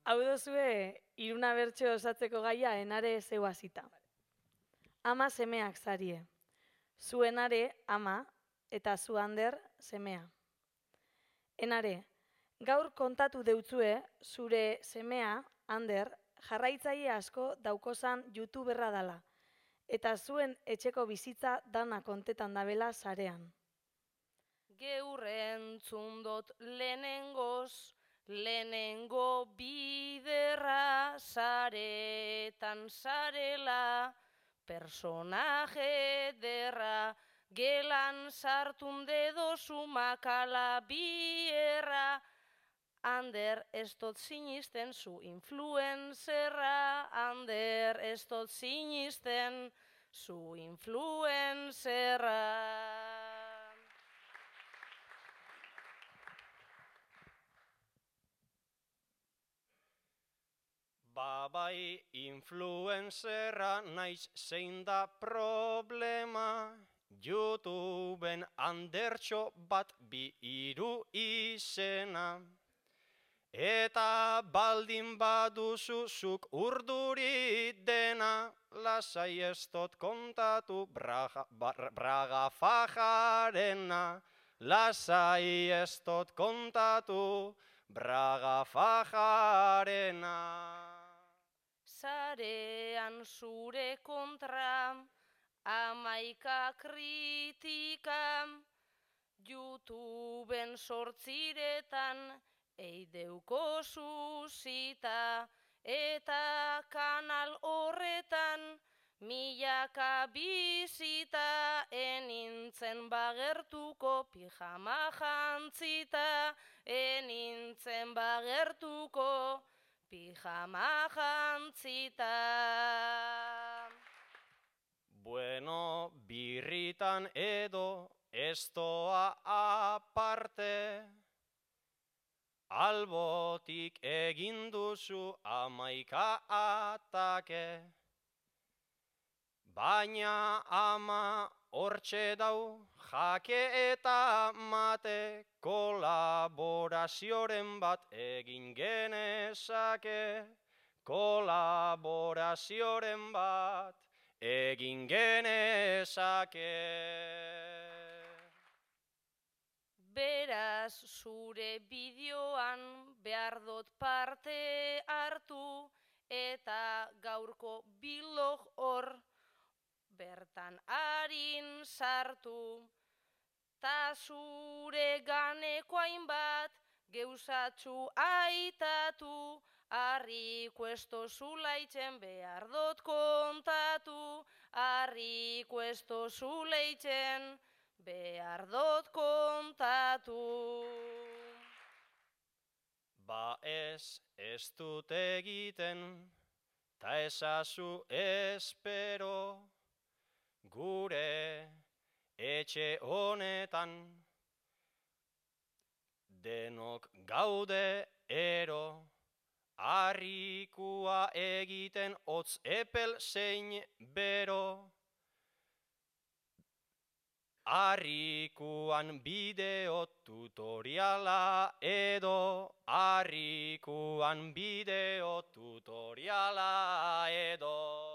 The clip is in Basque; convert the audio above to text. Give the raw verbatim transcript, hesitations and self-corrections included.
Hau dozue, iruna bertso osatzeko gaia enare zeu hasita. Ama semeak zarie. Zu enare ama eta zu Ander semea. Enare, gaur kontatu deutzue zure semea, Ander, jarraitzaile asko daukozan youtuberra dala, eta zuen etxeko bizitza dana kontetan dabela sarean. Geur entzundot lehenengoz, lehenengo biderra saretan sarela, personaje derra, gelan sartun dedozu makala bierra. Ander, ez dot sinisten zu influenzerra, Ander, ez dot sinisten zu influenzerra. Ba bai, influenzerra naiz zein da problema, YouTubeen Andertxo bat bi hiru izena. Eta baldin baduzu zuk urduri dena, lasai ez dot kontatu braga, braga fajarena, lasai ez dot kontatu braga fajarena. Sarean zure kontra, amaika kritika, YouTubeen sortziretan, eideuko zuzita, eta kanal horretan, milaka bizita, enintzen bagertuko pijama jantzita, enintzen bagertuko pijama jantzita. Bueno, birritan edo ez doa aparte, albotik egin duzu amaika atake, baina ama hortxe dau jake eta mate, kolaborazioren bat egin genezake, kolaborazioren bat egin genezake. Beraz, zure bideoan behar dut parte hartu, eta gaurko bilog hor bertan harin sartu. Ta zure ganeko hainbat geuzatzu aitatu, harriko ez dozulaitzen behar dut kontatu, harriko ez dozulaitzen behar dut kontatu. Ba ez, ez dut egiten, ta ezazu espero, gure etxe honetan, denok gaude ero, harrikua egiten hotz epel zein bero, harrikuan bideo tutoriala edo, harrikuan bideo tutoriala edo.